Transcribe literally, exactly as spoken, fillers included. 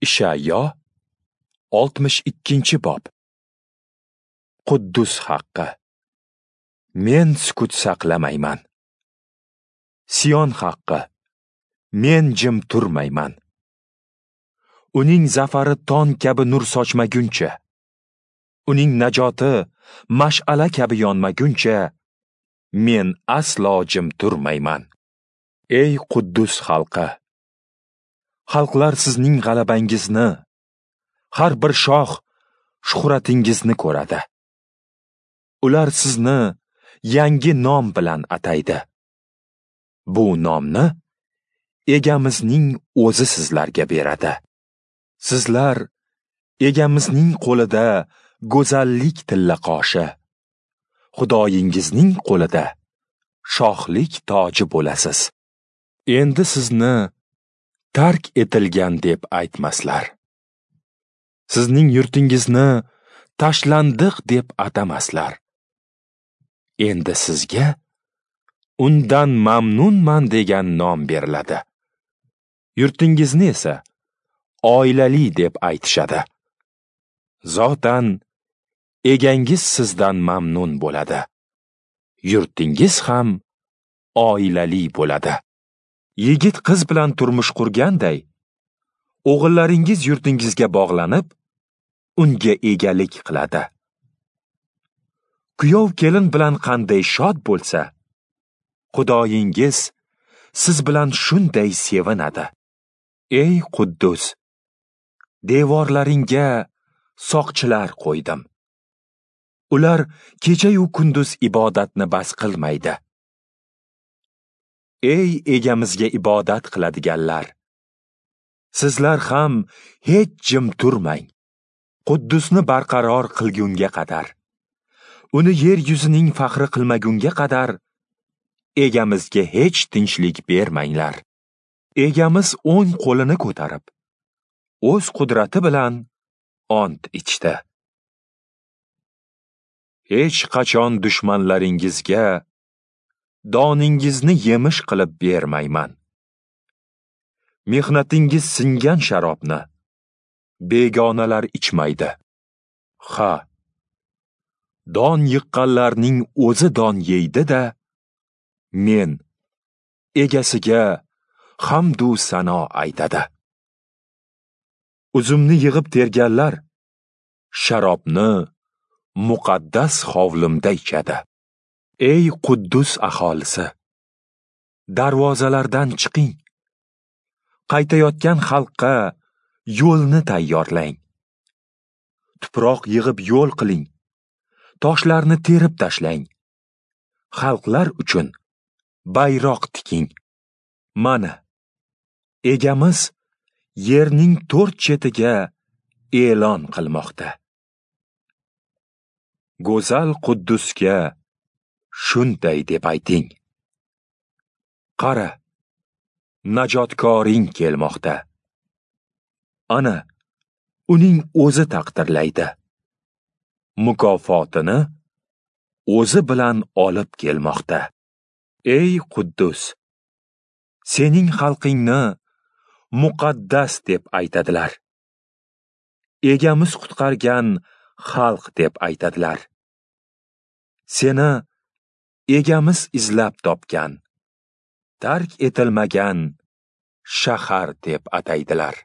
Ishayo oltmish ikkinchi bob. Quddus haqqi. Men sukut saqlamayman. Sion haqqi. Men jim turmayman. Uning zafari tong kabi nur sochmaguncha, uning najoti mash'ala kabi yonmaguncha, men aslo jim turmayman. Ey Quddus xalqi! Xalqlar sizning g'alabangizni, har bir shoh shuhratingizni ko'radi. Ular sizni yangi nom bilan ataydi. Bu nomni Egamizning o'zi sizlarga beradi. Sizlar Egamizning qo'lida go'zallik tillaqoshi, Xudoyingizning qo'lida shohlik toji bo'lasiz. Endi sizni tark etilgan deb aytmaslar. Sizning yurtingizni tashlandiq deb atamaslar. Endi sizga undan mamnunman degan nom beriladi. Yurtingizni esa oilali deb aytishadi. Zotan egangiz sizdan mamnun bo'ladi. Yurtingiz ham oilali bo'ladi. Yigit qiz bilan turmush qurganday, o'g'illaringiz yurtingizga bog'lanib, unga egalik qiladi. Kuyov kelin bilan qanday shod bo'lsa, Xudoyingiz siz bilan shunday sevinadi. Ey Quddus, devorlaringga soqchilar qo'ydim. Ular kecha-yu kunduz ibodatni bas qilmaydi. Ey Egamizga ibodat qiladiganlar, sizlar ham hech jim turmang. Quddusni barqaror qilgunga qadar, uni yer yuzining faxri qilmagunga qadar Egamizga hech tinchlik bermanglar. Egamiz o'ng qo'lini ko'tarib, o'z qudrati bilan ont ichdi. Hech qachon dushmanlaringizga doningizni yemish qilib bermayman. Mehnatingiz singan sharobni begonalar ichmaydi. Ha, don yiqqanlarning o'zi don yeydi-da, men egasiga hamdu sano aytadi. Uzumni yig'ib terganlar sharobni muqaddas hovlimda ichadi. Ey Quddus aholisi, darvozalardan chiqing. Qaytayotgan xalqqa yo'lni tayyorlang. Tuproq yig'ib yo'l qiling. Toshlarni terib tashlang. Xalqlar uchun bayroq tiking. Mana, Egamiz yerning to'rt chetiga e'lon qilmoqda. Go'zal Quddusga shunday deb ayting: Qara, najotkoring kelmoqda. Ana, uning o'zi taqdirlaydi. Mukofotini o'zi bilan olib kelmoqda. Ey Quddus, sening xalqingni muqaddas deb aytadilar. Egamiz qutqargan xalq deb aytadilar. Seni Egamiz izlab topgan, tark etilmagan shahar deb ataydilar.